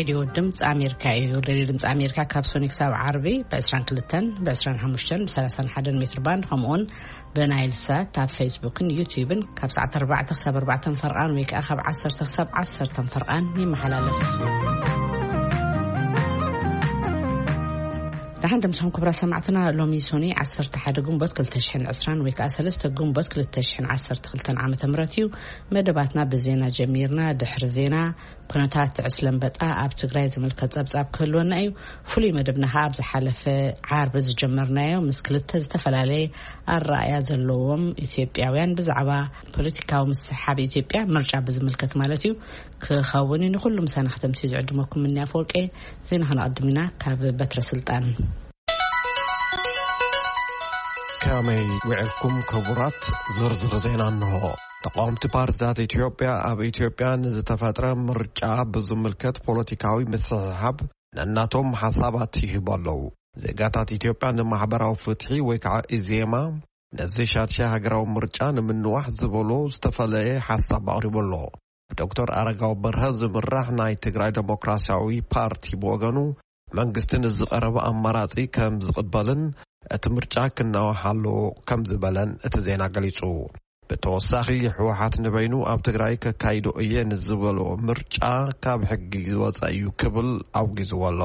ሬድዮ ድምፂ ኣሜሪካ እዩ። ሬድዮ ድምፂ ኣሜሪካ ካብ ሶኒ ክሳብ ዓርቢ ብ22፣ ብ25፣ ብ31 ሜትር ባንድ፣ ከምኡውን ብናይል ሳት ኣብ ፌስቡክን ዩቲዩብን ካብ ሰዓት ኣርባዕተ ክሳብ ኣርባዕተ ፈርቓን ወይ ከዓ ካብ ዓሰርተ ክሳብ ዓሰርተ ፈርቓን ይመሓላለፍ። ደሓን ደምስኹም ክቡራት ሰማዕትና፣ ሎሚ ሶኒ ዓሰርተ ሓደ ግንቦት ክልተ ሽሕን ዕስራን ወይ ከዓ ሰለስተ ግንቦት ክልተ ሽሕን ዓሰርተ ክልተን ዓመተ ምህረት እዩ። መደባትና ብዜና ጀሚርና። ድሕሪ ዜና፣ ኩነታት ዕስለ ኣንበጣ ኣብ ትግራይ ዝምልከት ጸብጻብ ክህልወና እዩ። ፍሉይ መደብና ከኣ ኣብ ዝሓለፈ ዓርቢ ዝጀመርናዮ ምስ ክልተ ዝተፈላለየ ኣረኣእያ ዘለዎም ኢትዮጵያውያን ብዛዕባ ፖለቲካዊ ምስሕሓብ ኢትዮጵያ፣ ምርጫ ብዝምልከት ማለት እዩ፣ ክኸውን እዩ። ንኹሉ ምሳና ከተምስዩ ዝዕድመኩም ምንያ ኣፈወርቄ። ዜና ከነቐድም ኢና ካብ በትረ ስልጣን። ከመይ ውዕልኩም ክቡራት? ዝርዝር ዜና እንሆ። ተቃወምቲ ፓርቲታት ኢትዮጵያ ኣብ ኢትዮጵያ ንዝተፈጥረ ምርጫ ብዝምልከት ፖለቲካዊ ምስሕሓብ ነናቶም ሓሳባት ይህቡ ኣለዉ። ዜጋታት ኢትዮጵያ ንማሕበራዊ ፍትሒ ወይ ከዓ ኢዜማ ነዚ ሻድሻይ ሃገራዊ ምርጫ ንምንዋሕ ዝበሎ ዝተፈለየ ሓሳብ ኣቕሪቡ ኣሎ። ብዶክተር ኣረጋዊ በርሀ ዝምራሕ ናይ ትግራይ ዴሞክራሲያዊ ፓርቲ ብወገኑ መንግስቲ ንዝቐረበ ኣማራጺ ከም ዝቕበልን እቲ ምርጫ ክናዋሕ ኣለዎ ከም ዝበለን እቲ ዜና ገሊጹ። ብተወሳኺ ህወሓት ንበይኑ ኣብ ትግራይ ከካይዶ እየ ንዝበሎ ምርጫ ካብ ሕጊ ዝወፀ እዩ ክብል ኣውጊዝዎ ኣሎ።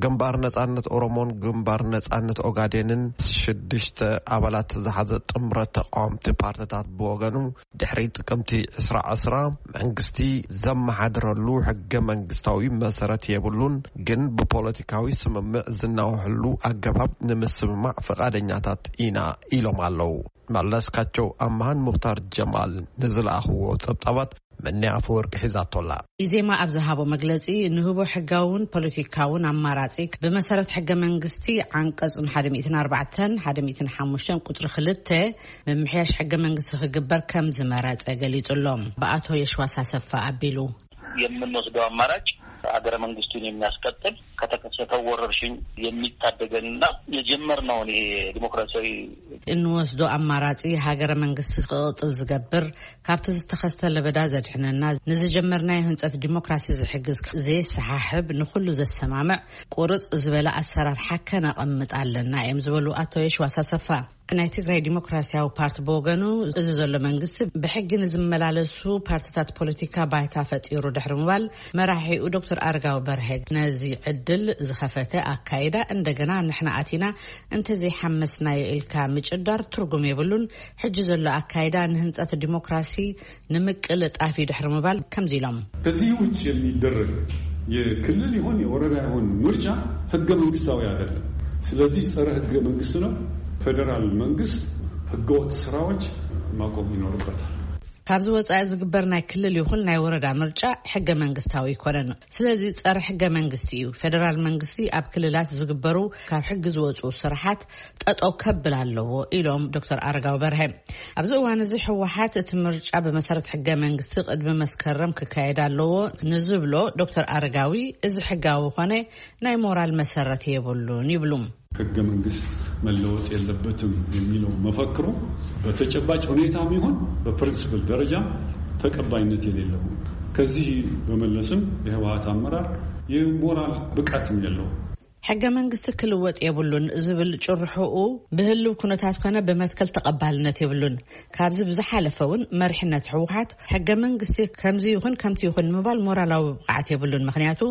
ግንባር ነጻነት ኦሮሞን ግንባር ነጻነት ኦጋዴንን ሽዱሽተ ኣባላት ዝሓዘ ጥምረት ተቃወምቲ ፓርቲታት ብወገኑ ድሕሪ ጥቅምቲ ዕስራ ዕስራ መንግስቲ ዘመሓድረሉ ሕገ መንግስታዊ መሰረት የብሉን፣ ግን ብፖለቲካዊ ስምምዕ ዝናወሐሉ ኣገባብ ንምስምማዕ ፈቓደኛታት ኢና ኢሎም ኣለዉ። መለስካቸው ኣምሃን ሙኽታር ጀማል ንዝለኣኽዎ ጸብጻባት ምንያ ኣፈወርቂ ሒዛቶላ። ኢዜማ ኣብ ዝሃቦ መግለጺ፣ ንህቦ ሕጋውን ፖለቲካውን ኣማራጺ ብመሰረት ሕገ መንግስቲ ዓንቀጽ ሓደ ሚእትን ኣርባዕተን ሓደ ሚእትን ሓሙሽተን ቁጽሪ ክልተ ምምሕያሽ ሕገ መንግስቲ ክግበር ከም ዝመረጸ ገሊጹ ኣሎ። ብኣቶ የሽዋስ ኣሰፋ ኣቢሉ። የምንወስደው አማራጭ ሀገረ መንግስቱን የሚያስቀጥል፣ ከተከሰተው ወረርሽኝ የሚታደገንና የጀመርነውን ይሄ ዲሞክራሲያዊ እንወስዶ ኣማራጺ ሃገረ መንግስቲ ክቕጽል ዝገብር፣ ካብቲ ዝተኸስተ ለበዳ ዘድሕነና፣ ንዝጀመርናዮ ህንጸት ዲሞክራሲ ዝሕግዝ ዘየሰሓሕብ፣ ንኹሉ ዘሰማምዕ፣ ቁርጽ ዝበለ ኣሰራርሓ ከነቐምጥ ኣለና እዮም ዝበሉ ኣቶ የሽዋስ ኣሰፋ። ናይ ትግራይ ዲሞክራሲያዊ ፓርቲ ብወገኑ፣ እዚ ዘሎ መንግስቲ ብሕጊ ንዝመላለሱ ፓርቲታት ፖለቲካ ባይታ ፈጢሩ ድሕሪ ምባል፣ መራሒኡ ዶክተር ኣረጋዊ በርሀ ነዚ ዕድል ዝኸፈተ ኣካይዳ፣ እንደገና ንሕና ኣቲና እንተዘይሓመስናዮ ኢልካ ምጭዳር ትርጉም የብሉን። ሕጂ ዘሎ ኣካይዳ ንህንጸት ዲሞክራሲ ንምቅልጣፍ እዩ ድሕሪ ምባል ከምዚ ኢሎም። ከዚህ ውጭ የሚደረግ የክልል ይሁን የወረዳ ይሁን ምርጫ ህገ መንግስታዊ አይደለም። ስለዚህ ጸረ ህገ መንግስት ነው። ፌዴራል መንግስት ህገወጥ ስራዎች ማቆም ይኖርበታል። ካብዚ ወጻኢ ዝግበር ናይ ክልል ይኹን ናይ ወረዳ ምርጫ ሕገ መንግስታዊ ኣይኮነን። ስለዚ ጸረ ሕገ መንግስቲ እዩ። ፌዴራል መንግስቲ ኣብ ክልላት ዝግበሩ ካብ ሕጊ ዝወጹ ስራሓት ጠጠው ከብል ኣለዎ ኢሎም ዶክተር ኣረጋዊ በርሀ። ኣብዚ እዋን እዚ ህወሓት እቲ ምርጫ ብመሰረት ሕገ መንግስቲ ቅድሚ መስከረም ክካየድ ኣለዎ ንዝብሎ ዶክተር ኣረጋዊ፣ እዚ ሕጋዊ ኮነ ናይ ሞራል መሰረት የብሉን ይብሉ። ህገ መንግስት መለወጥ የለበትም የሚለው መፈክሩ በተጨባጭ ሁኔታም ይሁን በፕሪንስፕል ደረጃ ተቀባይነት የሌለው። ከዚህ በመለስም የህወሓት አመራር የሞራል ብቃትም የለው። ሕገ መንግስቲ ክልወጥ የብሉን ዝብል ጭርሕኡ ብህልው ኩነታት ኮነ ብመትከል ተቐባልነት የብሉን። ካብዚ ብዝሓለፈ እውን መሪሕነት ህወሓት ሕገ መንግስቲ ከምዚ ይኹን ከምቲ ይኹን ንምባል ሞራላዊ ብቕዓት የብሉን። ምኽንያቱ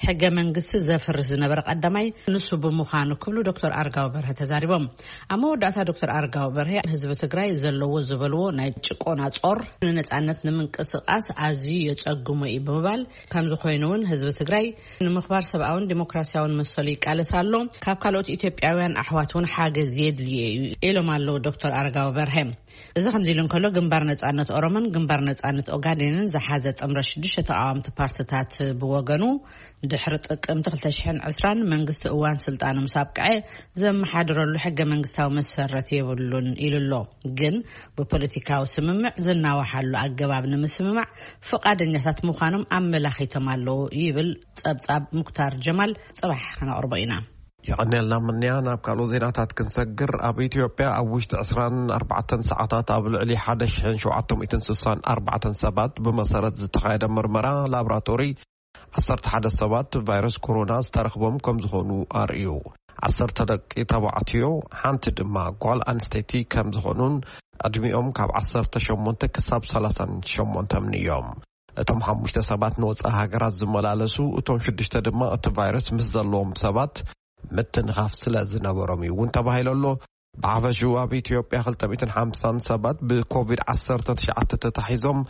ሕገ መንግስቲ ዘፍርስ ዝነበረ ቀዳማይ ንሱ ብምዃኑ ክብሉ ዶክተር ኣረጋዊ በርሀ ተዛሪቦም። ኣብ መወዳእታ ዶክተር ኣረጋዊ በርሀ ህዝቢ ትግራይ ዘለዎ ዝበልዎ ናይ ጭቆና ጾር ንነጻነት ንምንቅስቃስ ኣዝዩ የጸግሞ እዩ ብምባል፣ ከምዚ ኮይኑ እውን ህዝቢ ትግራይ ንምኽባር ሰብኣውን ዲሞክራሲያውን መሰሉ ይቃለስ ኣሎ። ካብ ካልኦት ኢትዮጵያውያን ኣሕዋት እውን ሓገዝ የድልዮ እዩ ኢሎም ኣለዉ ዶክተር ኣረጋዊ በርሀ። እዚ ከምዚ ኢሉ እንከሎ፣ ግንባር ነጻነት ኦሮሞን ግንባር ነጻነት ኦጋዴንን ዝሓዘ ጥምረት ሽዱሽተ ተቃወምቲ ፓርቲታት ብወገኑ፣ ድሕሪ ጥቅምቲ ክልተ ሽሕን ዕስራን መንግስቲ እዋን ስልጣኑ ምስ ኣብቅዐ ዘመሓድረሉ ሕገ መንግስታዊ መሰረት የብሉን ኢሉ ኣሎ። ግን ብፖለቲካዊ ስምምዕ ዝናዋሓሉ ኣገባብ ንምስምማዕ ፍቓደኛታት ምዃኖም ኣመላኺቶም ኣለዉ ይብል ጸብጻብ ሙክታር ጀማል። ጽባሕ ከነቕርቦ ኢና። የቐንየልና ምንያ። ናብ ካልኦት ዜናታት ክንሰግር፣ ኣብ ኢትዮጵያ ኣብ ውሽጢ ዕስራን ኣርባዕተን ሰዓታት ኣብ ልዕሊ ሓደ ሽሕን ሸውዓተ ሚእትን ስሳን ኣርባዕተን ሰባት ብመሰረት ዝተኻየደ ምርመራ ላብራቶሪ ዓሰርተ ሓደ ሰባት ቫይረስ ኮሮና ዝተረኽቦም ከም ዝኾኑ ኣርእዩ። ዓሰርተ ደቂ ተባዕትዮ፣ ሓንቲ ድማ ጓል ኣንስተይቲ ከም ዝኾኑን ዕድሚኦም ካብ ዓሰርተ ሸሞንተ ክሳብ ሰላሳን ሸሞንተን እዮም። እቶም ሓሙሽተ ሰባት ንወጻኢ ሃገራት ዝመላለሱ፣ እቶም ሽዱሽተ ድማ እቲ ቫይረስ ምስ ዘለዎም ሰባት ምትንኻፍ ስለ ዝነበሮም እዩ እውን ተባሂሉ ኣሎ። ብሓፈሽኡ ኣብ ኢትዮጵያ ክልተ ሚእትን ሓምሳን ሰባት ብኮቪድ ዓሰርተ ትሽዓተ ተታሒዞም፣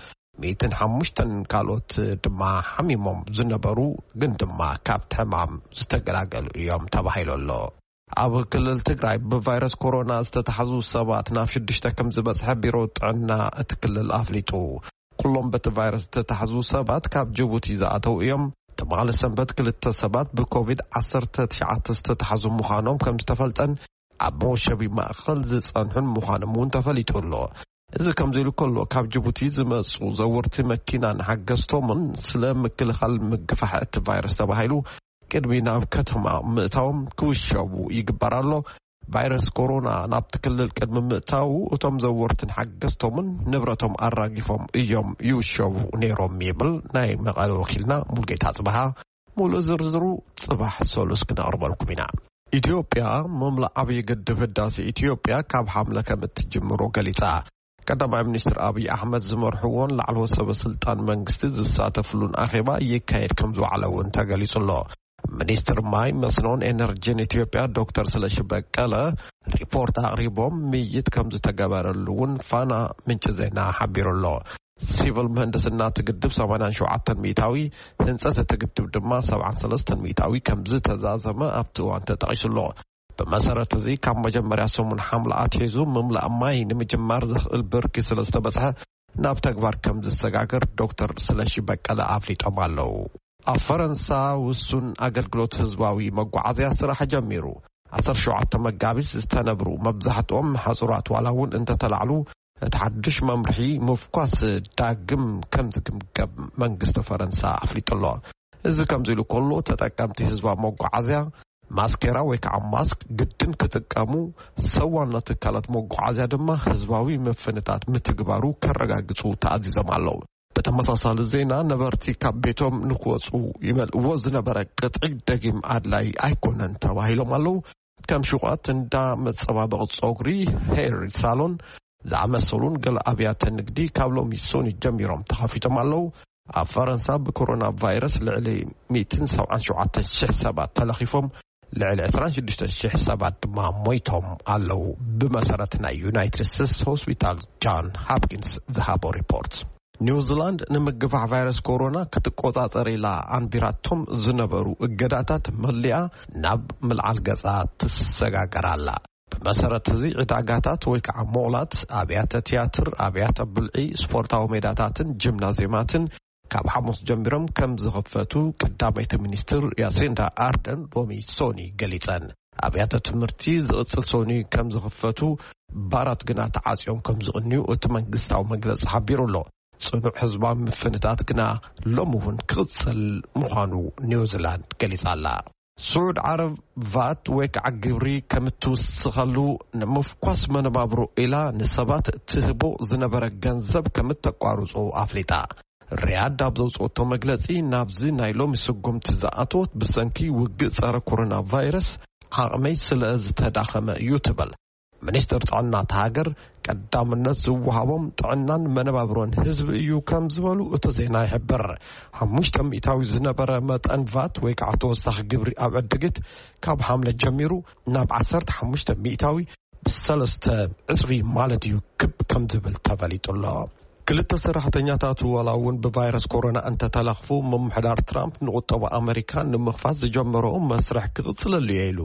ሚእትን ሓሙሽተን ካልኦት ድማ ሓሚሞም ዝነበሩ ግን ድማ ካብቲ ሕማም ዝተገላገሉ እዮም ተባሂሉ ኣሎ። ኣብ ክልል ትግራይ ብቫይረስ ኮሮና ዝተታሕዙ ሰባት ናብ ሽዱሽተ ከም ዝበጽሐ ቢሮ ጥዕና እቲ ክልል ኣፍሊጡ። ኩሎም በቲ ቫይረስ ዝተታሕዙ ሰባት ካብ ጅቡቲ ዝኣተው እዮም። ትማሊ ሰንበት ክልተ ሰባት ብኮቪድ ዓሰርተ ትሽዓተ ዝተታሕዙ ምዃኖም ከም ዝተፈልጠን ኣብ መወሸቢ ማእኸል ዝጸንሑን ምዃኖም እውን ተፈሊጡ ኣሎ። እዚ ከምዚ ኢሉ ከሎ፣ ካብ ጅቡቲ ዝመጹ ዘወርቲ መኪናን ሓገዝቶምን ስለ ምክልኻል ምግፋሕ እቲ ቫይረስ ተባሂሉ ቅድሚ ናብ ከተማ ምእታዎም ክውሸቡ ይግበር ኣሎ። ቫይረስ ኮሮና ናብቲ ክልል ቅድሚ ምእታዉ እቶም ዘወርትን ሓገዝቶምን ንብረቶም ኣራጊፎም እዮም ይውሸቡ ነይሮም ይብል ናይ መቐለ ወኪልና ሙልጌታ ጽበሃ። ሙሉእ ዝርዝሩ ጽባሕ ሰሉስ ክነቕርበልኩም ኢና። ኢትዮጵያ ምምላእ ዓብዪ ግድብ ህዳሴ ኢትዮጵያ ካብ ሓምለ ከም እትጅምሮ ገሊጻ። ቀዳማይ ሚኒስትር ኣብይ ኣሕመድ ዝመርሕዎን ላዕለዎት ሰበ ስልጣን መንግስቲ ዝሳተፍሉን ኣኼባ ይካየድ ከም ዝወዓለ እውን ተገሊጹ ኣሎ። ሚኒስትር ማይ መስኖን ኤነርጂን ኢትዮጵያ ዶክተር ስለሺ በቀለ ሪፖርት ኣቕሪቦም ምይይጥ ከም ዝተገበረሉ እውን ፋና ምንጪ ዜና ሓቢሩ ኣሎ። ሲቪል ምህንድስና እቲ ግድብ ሰማንያን ሸውዓተን ሚእታዊ፣ ህንፀት እቲ ግድብ ድማ ሰብዓን ሰለስተን ሚእታዊ ከም ዝተዛዘመ ኣብቲ እዋን ተጠቒሱ ኣሎ። ብመሰረት እዚ ካብ መጀመርያ ሰሙን ሓምለ ኣትሒዙ ምምላእ ማይ ንምጅማር ዘኽእል ብርኪ ስለ ዝተበፅሐ ናብ ተግባር ከም ዝሰጋገር ዶክተር ስለሺ በቀለ ኣፍሊጦም ኣለዉ። ኣብ ፈረንሳ ውሱን ኣገልግሎት ህዝባዊ መጓዓዝያ ስራሕ ጀሚሩ። ዓሰርተ ሸውዓተ መጋቢት ዝተነብሩ መብዛሕትኦም ሓጹራት ዋላ እውን እንተተላዕሉ እቲ ሓድሽ መምርሒ ምፍኳስ ዳግም ከም ዝግምገም መንግስቲ ፈረንሳ ኣፍሊጡ ኣሎ። እዚ ከምዚ ኢሉ ከሎ ተጠቀምቲ ህዝባዊ መጓዓዝያ ማስኬራ ወይ ከዓ ማስክ ግድን ክጥቀሙ፣ ሰዋና ትካላት መጓዓዝያ ድማ ህዝባዊ ምፍንታት ምትግባሩ ከረጋግጹ ተኣዚዞም ኣለዉ። ብተመሳሳሊ ዜና ነበርቲ ካብ ቤቶም ንክወፁ ይመልእዎ ዝነበረ ቅጥዒ ደጊም ኣድላይ ኣይኮነን ተባሂሎም ኣለዉ። ከም ሹቓት፣ እንዳ መፀባበቒ ፀጉሪ፣ ሄር ሳሎን ዝኣመሰሉን ገለ ኣብያተ ንግዲ ካብ ሎሚ ሶኒ ጀሚሮም ተኸፊቶም ኣለዉ። ኣብ ፈረንሳ ብኮሮና ቫይረስ ልዕሊ ሚእትን ሰብዓን ሸውዓተን ሽሕ ሰባት ተለኺፎም፣ ልዕሊ ዕስራን ሽዱሽተን ሽሕ ሰባት ድማ ሞይቶም ኣለዉ። ብመሰረት ናይ ዩናይትድ ስቴትስ ሆስፒታል ጃን ሃፕኪንስ ዝሃቦ ሪፖርት፣ ኒውዚላንድ ንምግፋሕ ቫይረስ ኮሮና ክትቆጻጸር ኢላ ኣንቢራቶም ዝነበሩ እገዳታት መሊኣ ናብ ምልዓል ገጻ ትሰጋገር ኣላ። ብመሰረት እዚ ዕዳጋታት ወይ ከዓ ሞላት፣ ኣብያተ ትያትር፣ ኣብያተ ብልዒ፣ ስፖርታዊ ሜዳታትን ጂምናዝየማትን ካብ ሓሙስ ጀሚሮም ከም ዝኽፈቱ ቀዳመይቲ ሚኒስትር ያሲንዳ ኣርደን ሎሚ ሶኒ ገሊጸን። ኣብያተ ትምህርቲ ዝቕጽል ሶኒ ከም ዝኽፈቱ፣ ባራት ግና ተዓጽዮም ከም ዝቕንዩ እቲ መንግስታዊ መግለጺ ሓቢሩ ኣሎ። ጽኑዕ ህዝባዊ ምፍንታት ግና ሎሚ እውን ክቕጽል ምዃኑ ኒውዚላንድ ገሊጻ ኣላ። ስዑድ ዓረብ ቫት ወይ ከዓ ግብሪ ከም እትውስኸሉ ንምፍኳስ መነባብሮ ኢላ ንሰባት ትህቦ ዝነበረ ገንዘብ ከም እተቋርጾ ኣፍሊጣ። ሪያድ ኣብ ዘውፅኦቶ መግለፂ፣ ናብዚ ናይ ሎሚ ስጉምቲ ዝኣተወት ብሰንኪ ውግእ ጸረ ኮሮና ቫይረስ ዓቕመይ ስለ ዝተዳኸመ እዩ ትብል። ሚኒስትር ጥዕና እታ ሃገር ቀዳምነት ዝወሃቦም ጥዕናን መነባብሮን ህዝቢ እዩ ከም ዝበሉ እቲ ዜና ይሕብር። ሓሙሽተ ሚእታዊ ዝነበረ መጠን ቫት ወይ ከዓ ተወሳኺ ግብሪ ኣብ ዕድጊት ካብ ሓምለ ጀሚሩ ናብ ዓሰርተ ሓሙሽተ ሚእታዊ ብሰለስተ ዕጽፊ ማለት እዩ ክብ ከም ዝብል ተፈሊጡ ኣሎ። ክልተ ሰራሕተኛታቱ ዋላ እውን ብቫይረስ ኮሮና እንተተለኽፉ፣ ምምሕዳር ትራምፕ ንቁጠባ ኣመሪካ ንምኽፋት ዝጀመሮ መስርሕ ክቕጽለሉ እየ ኢሉ።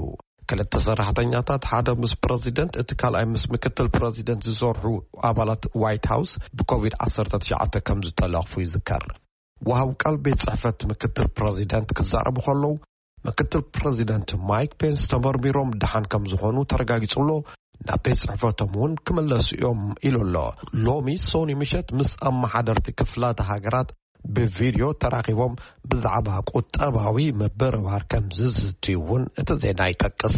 ክልተ ሰራሕተኛታት፣ ሓደ ምስ ፕረዚደንት፣ እቲ ካልኣይ ምስ ምክትል ፕረዚደንት ዝሰርሑ ኣባላት ዋይት ሃውስ ብኮቪድ ዓሰርተ ትሽዓተ ከም ዝተለኽፉ ይዝከር። ወሃብ ቃል ቤት ጽሕፈት ምክትል ፕረዚደንት ክዛረቡ ከለዉ፣ ምክትል ፕረዚደንት ማይክ ፔንስ ተመርሚሮም ደሓን ከም ዝኾኑ ተረጋጊጹ ኣሎ። ናብ ቤት ጽሕፈቶም እውን ክምለሱ እዮም ኢሉ ኣሎ። ሎሚ ሶኒ ምሸት ምስ ኣመሓደርቲ ክፍላተ ሃገራት ብቪድዮ ተራኺቦም ብዛዕባ ቁጠባዊ ምብርባር ከም ዝዝትዩ እውን እቲ ዜና ይጠቅስ።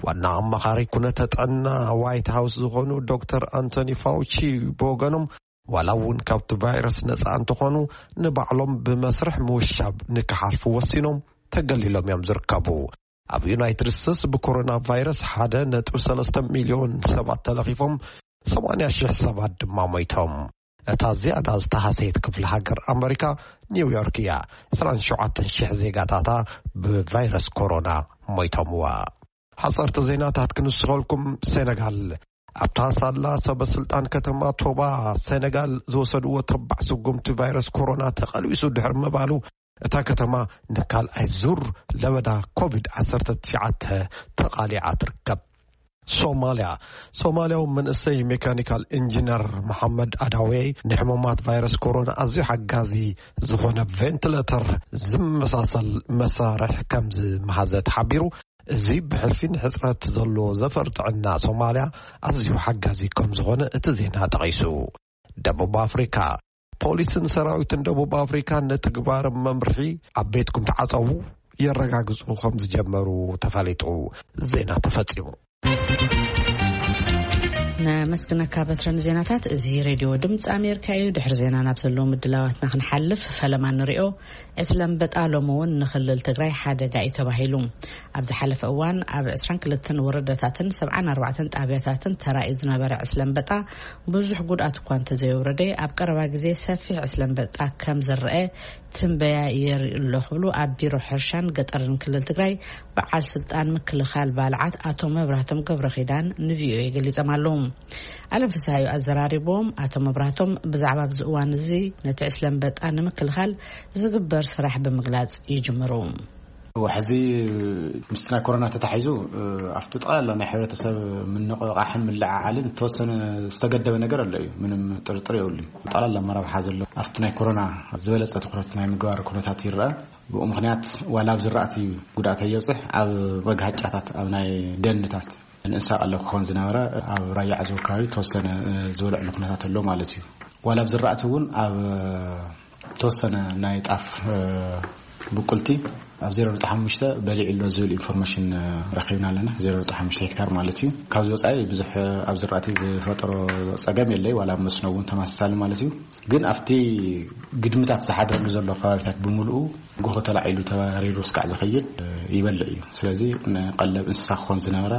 ዋና ኣማኻሪ ኩነተ ጥዕና ዋይት ሃውስ ዝኾኑ ዶክተር ኣንቶኒ ፋውቺ ብወገኖም፣ ዋላ እውን ካብቲ ቫይረስ ነጻ እንተኾኑ፣ ንባዕሎም ብመስርሕ ምውሻብ ንክሓልፉ ወሲኖም ተገሊሎም እዮም ዝርከቡ። ኣብ ዩናይትድ ስቴትስ ብኮሮና ቫይረስ ሓደ ነጥቢ ሰለስተ ሚልዮን ሰባት ተለኺፎም፣ ሰማንያ ሽሕ ሰባት ድማ ሞይቶም። እታ ዝያዳ ዝተሃሰየት ክፍሊ ሃገር ኣመሪካ ኒውዮርክ እያ። ዕስራን ሸውዓተን ሽሕ ዜጋታታ ብቫይረስ ኮሮና ሞይቶምዋ። ሓፀርቲ ዜናታት ክንስኸልኩም። ሴነጋል ኣብታ ሳላ ሰበ ስልጣን ከተማ ቶባ ሴነጋል ዝወሰድዎ ተባዕ ስጉምቲ ቫይረስ ኮሮና ተቐልቢሱ ድሕሪ ምባሉ፣ እታ ከተማ ንካልኣይ ዙር ለበዳ ኮቪድ ዓሰርተ ትሽዓተ ተቓሊዓ ትርከብ። ሶማልያ። ሶማልያዊ መንእሰይ ሜካኒካል ኢንጂነር መሓመድ ኣዳዌ ንሕሙማት ቫይረስ ኮሮና ኣዝዩ ሓጋዚ ዝኾነ ቬንቲሌተር ዝመሳሰል መሳርሕ ከም ዝመሃዘ ተሓቢሩ። እዚ ብሕልፊ ንሕጽረት ዘለዎ ዘፈር ጥዕና ሶማልያ ኣዝዩ ሓጋዚ ከም ዝኾነ እቲ ዜና ጠቒሱ። ደቡብ ኣፍሪካ። ፖሊስን ሰራዊትን ደቡብ ኣፍሪካ ንትግባር መምርሒ ኣብ ቤትኩም ተዓጸዉ የረጋግጹ ከም ዝጀመሩ ተፈሊጡ። ዜና ተፈጺሙ። ነመስግነካ በትረን ዜናታት። እዚ ሬድዮ ድምፂ ኣሜሪካ እዩ። ድሕሪ ዜና ናብ ዘለዉ ምድላዋትና ክንሓልፍ፣ ፈለማ ንሪኦ። ዕስለ ኣንበጣ ሎሚ እውን ንክልል ትግራይ ሓደጋ እዩ ተባሂሉ። ኣብ ዝሓለፈ እዋን ኣብ ዕስራን ክልተን ወረዳታትን ሰብዓን ኣርባዕተን ጣብያታትን ተራእዩ ዝነበረ ዕስለ ኣንበጣ ብዙሕ ጉድኣት እኳ እንተዘየውረደ፣ ኣብ ቀረባ ግዜ ሰፊሕ ዕስለ ኣንበጣ ከም ዝረአ ትንበያ የርኢ ኣሎ ክብሉ ኣብ ቢሮ ሕርሻን ገጠርን ክልል ትግራይ በዓል ስልጣን ምክልኻል ባልዓት ኣቶ መብራህቶም ገብረ ኪዳን ንቪኦኤ ገሊጾም ኣለዉ። ኣለም ፍስሃዩ ኣዘራሪቦም። ኣቶ መብራህቶም ብዛዕባ ኣብዚ እዋን እዚ ነቲ ዕስለ ኣንበጣ ንምክልኻል ዝግበር ስራሕ ብምግላጽ ይጅምሩ። ሕዚ ምስቲ ናይ ኮሮና ተታሒዙ፣ እ፣ ኣብቲ ጠቕላላ ናይ ሕብረተሰብ ምንቕቓሕን ምልዕዓልን ዝተወሰነ ዝተገደበ ነገር ኣሎ እዩ። ምንም ጥርጥር የብሉን። ጠቕላላ ኣመራርሓ ዘሎ ኣብቲ ናይ ኮሮና ዝበለጸ ትኹረት ናይ ምግባር ኩነታት ይረአ። ብኡ ምኽንያት ዋላ ኣብ ዝራእቲ ጉድኣት ኣየብፅሕ፣ ኣብ መግሃጫታት፣ ኣብ ናይ ደንታት ንእንስሳ ቀለብ ክኾን ዝነበረ ኣብ ራያ ዓዘቦ ከባቢ ተወሰነ፣ እ፣ ዝበልዕሉ ኩነታት ኣሎ ማለት እዩ። ዋላ ኣብ ዝራእቲ እውን ኣብ ተወሰነ ናይ ጣፍ፣ እ፣ ብቁልቲ ኣብ ዜሮ ነጥቢ ሓሙሽተ በሊዑ ኣሎ ዝብል ኢንፎርሜሽን፣ እ፣ ረኺብና ኣለና። ዜሮ ነጥቢ ሓሙሽተ ሄክታር ማለት እዩ። ካብዚ ወፃኢ ብዙሕ፣ እ፣ ኣብ ዝራእቲ ዝፈጠሮ ፀገም የለይ፣ ዋላ ኣብ መስኖ እውን ተመሳሳሊ ማለት እዩ። ግን ኣብቲ ግድምታት ዝሓድረሉ ዘሎ ከባቢታት ብምልኡ ጎሆ ተላዒሉ ተባሪሩ እስካዕ ዝኸይድ፣ እ፣ ይበልዕ እዩ። ስለዚ ንቀለብ እንስሳ ክኾን ዝነበረ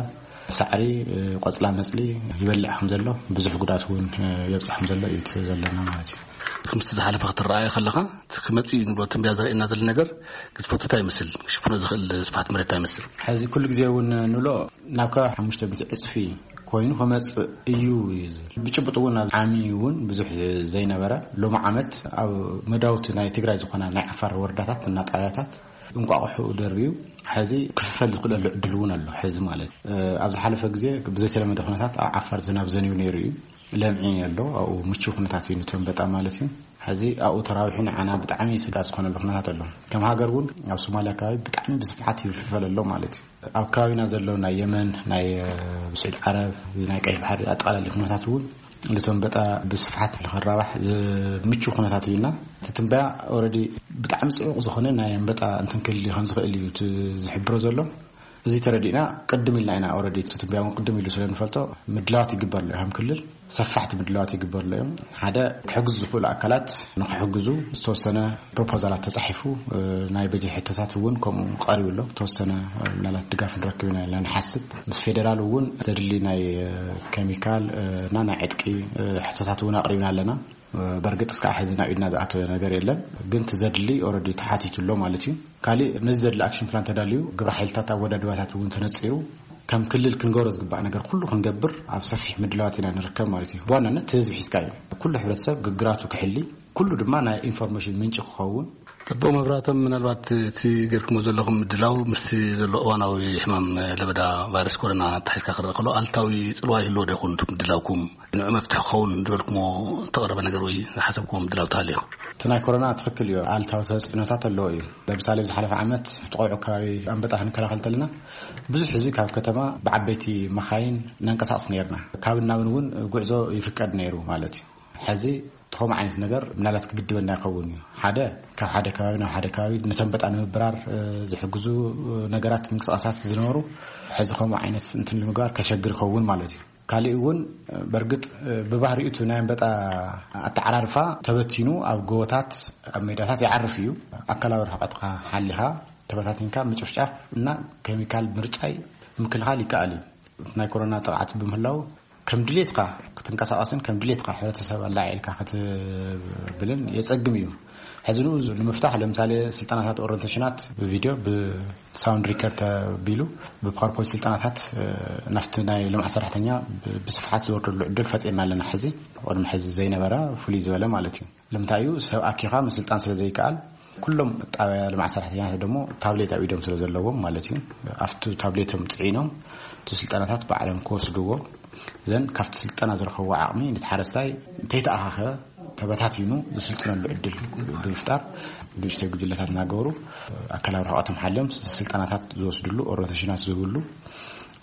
ሳዕሪ፣ እ፣ ቆፅላ መፅሊ ይበልዕ ከም ዘሎ፣ ብዙሕ ጉድኣት እውን፣ እ፣ የብፅሕ ከም ዘሎ እዩ እቲ ዘለና ማለት እዩ። እቲ ምስቲ ዝሓለፈ ክትረኣየ ከለኻ፣ እቲ ክመፅእ እዩ ንብሎ ትንበያ ዘርእየና ዘሎ ነገር ግዝፈቱ እንታይ ይመስል? ክሽፍኖ ዝኽእል ስፍሓት መሬት እንታይ ይመስል? ሕዚ ኩሉ ግዜ እውን ንብሎ ናብ ከባቢ ሓሙሽተ ሚእቲ ዕፅፊ ኮይኑ ክመፅእ እዩ እዩ ዝብል። ብጭቡጥ እውን ኣብ ዓሚ እውን ብዙሕ ዘይነበረ፣ ሎሚ ዓመት ኣብ መዳውቲ ናይ ትግራይ ዝኾና ናይ ዓፋር ወረዳታት እና ጣብያታት እንቋቑሑ ደርብዩ ሕዚ ክፍፈል ዝኽእለሉ ዕድል እውን ኣሎ። ሕዚ ማለት፣ እ፣ ኣብ ዝሓለፈ ግዜ ብዘይተለመደ ኩነታት ኣብ ዓፋር ዝናብ ዘንዩ ነይሩ እዩ። ለምዒ ኣሎ፣ ኣብኡ ምቹው ኩነታት እዩ ንተንበጣ ማለት እዩ። ሕዚ ኣብኡ ተራዊሑ ንዓና ብጣዕሚ ስጋት ዝኾነሉ ኩነታት ኣሎ። ከም ሃገር እውን ኣብ ሶማልያ ከባቢ ብጣዕሚ ብስፍሓት ይፍልፈል ኣሎ ማለት እዩ። ኣብ ከባቢና ዘሎ ናይ የመን፣ ናይ፣ እ፣ ስዑድ ዓረብ፣ እዚ ናይ ቀይሕ ባሕሪ ኣጠቓላሊ ኩነታት እውን ንተንበጣ ብስፍሓት ንኽራባሕ ዝ-፣ ምቹው ኩነታት እዩና። እቲ ትንበያ ኦልሬዲ ብጣዕሚ ጽዑቕ ዝኾነ ናይ ኣንበጣ እንትንክል ከም ዝኽእል እዩ እቲ ዝሕብሮ ዘሎ። እዚ ተረዲእና ቅድም ኢልና ኢና ኦልሬዲ እቲ ትንበያ እውን ቅድም ኢሉ ስለ ንፈልጦ ምድላዋት ይግበር ኣሎ እዩ። ከም ክልል ሰፋሕቲ ምድላዋት ይግበር ኣሎ እዮም። ሓደ ክሕግዙ ዝኽእሉ ኣካላት ንክሕግዙ ዝተወሰነ ፕሮፖዛላት ተጻሒፉ፣ እ፣ ናይ በጀት ሕቶታት እውን ከምኡ ቀሪቡ ኣሎ። ተወሰነ፣ እ፣ ምናልባት ድጋፍ ንረክብ ኢና ኢልና ንሓስብ። ምስ ፌደራል እውን ዘድሊ ናይ፣ እ፣ ኬሚካል፣ እ፣ እና ናይ ዕጥቂ፣ እ፣ ሕቶታት እውን ኣቕሪብና ኣለና። እ፣ በርግጥ እስካዕ ሕዚ ናብ ኢድና ዝኣተወ ነገር የለን፣ ግን እቲ ዘድሊ ኦልሬዲ ተሓቲቱ ኣሎ ማለት እዩ። ካሊእ ነዚ ዘድሊ ኣክሽን ፕላን ተዳልዩ፣ ግብረ ሓይልታት ኣወዳድባታት እውን ተነጺሩ፣ ከም ክልል ክንገብሮ ዝግባእ ነገር ኩሉ ክንገብር ኣብ ሰፊሕ ምድላዋት ኢና ንርከብ ማለት እዩ። ብዋናነት እቲ ህዝቢ ሒዝካ እዩ። ኩሉ ሕብረተሰብ ግግራቱ ክሕሊ፣ ኩሉ ድማ ናይ ኢንፎርሜሽን ምንጪ ክኸውን። ጽቡቕ መብራህቶም፣ ምናልባት እቲ ገርኩሞ ዘለኹም ምድላው ምስቲ ዘሎ እዋናዊ ሕማም ለበዳ ቫይረስ ኮሮና ኣተሓሒዝካ ክረአ ከሎ ኣሉታዊ ጽልዋ ይህልዎ ዶ ይኸውን እቲ ምድላውኩም? ንዑ መፍትሒ ክኸውን ዝበልኩሞ እተቕረበ ነገር ወይ ዝሓሰብኩሞ ምድላው ተሃልዩ? እቲ ናይ ኮሮና ትኽክል እዩ፣ ኣሉታዊ ተጽዕኖታት ኣለዎ እዩ። ለምሳሌ፣ ዝሓለፈ ዓመት እቲ ቆልዑ ከባቢ ኣንበጣ ክንከላኸል ተለና ብዙሕ ህዝቢ ካብ ከተማ ብዓበይቲ መኻይን ነንቀሳቕስ ነይርና። ካብን ናብን እውን ጉዕዞ ይፍቀድ ነይሩ ማለት እዩ። ሕዚ እቲ ከምኡ ዓይነት ነገር ምናልባት ክግድበና ይኸውን እዩ። ሓደ፣ ካብ ሓደ ከባቢ ናብ ሓደ ከባቢ ንተንበጣ ንምብራር፣ እ፣ ዝሕግዙ፣ እ፣ ነገራት ምንቅስቃሳት ዝነበሩ፣ ሕዚ ከምኡ ዓይነት እንትን ንምግባር ከሸግር ይኸውን ማለት እዩ። ካሊእ እውን በርግጥ ብባህሪኡ እቲ ናይ ኣንበጣ ኣተዓራርፋ ተበቲኑ ኣብ ጎቦታት ኣብ ሜዳታት ይዓርፍ እዩ። ኣካላዊ ርሕቀትካ ሓሊኻ ተበታቲንካ ምጭፍጫፍ እና ኬሚካል ምርጫይ ምክልኻል ይከኣል እዩ። ናይ ኮሮና ጥቕዓት ብምህላው ከም ድሌትካ ክትንቀሳቐስን ከም ድሌትካ ሕብረተሰብ ኣላዒልካ ክትብልን የጸግም እዩ። ሕዚ ንኡ ንምፍታሕ ለምሳሌ ስልጠናታት ኦሪንቴሽናት ብቪድዮ ብሳውንድ ሪከርድ ተቢሉ ብፓወርፖይንት ስልጠናታት ናፍቲ ናይ ልምዓት ሰራሕተኛ ብስፍሓት ዝወርደሉ ዕድል ፈጢርና ኣለና። ሕዚ ቅድሚ ሕዚ ዘይነበረ ፍሉይ ዝበለ ማለት እዩ። ልምንታይ እዩ ሰብ ኣኪኻ ምስልጣን ስለ ዘይከኣል ኩሎም ጣብያ ልምዓት ሰራሕተኛታት ደሞ ታብሌት ኣብ ኢዶም ስለ ዘለዎም ማለት እዩ ኣብቲ ታብሌቶም ፅዒኖም እቲ ስልጠናታት ባዕሎም ክወስድዎ ዘን ካብቲ ስልጠና ዝረኸብዎ ዓቕሚ ነቲ ሓረስታይ እንተይተኣኻኸ ተበታቲኑ ዝስልጥነሉ ዕድል ብምፍጣር ብንእሽተይ ጉጅለታት እናገበሩ ኣካላዊ ርሕቐቶም ሓልዮም ስልጠናታት ዝወስድሉ ኦሪንቴሽናት ዝህብሉ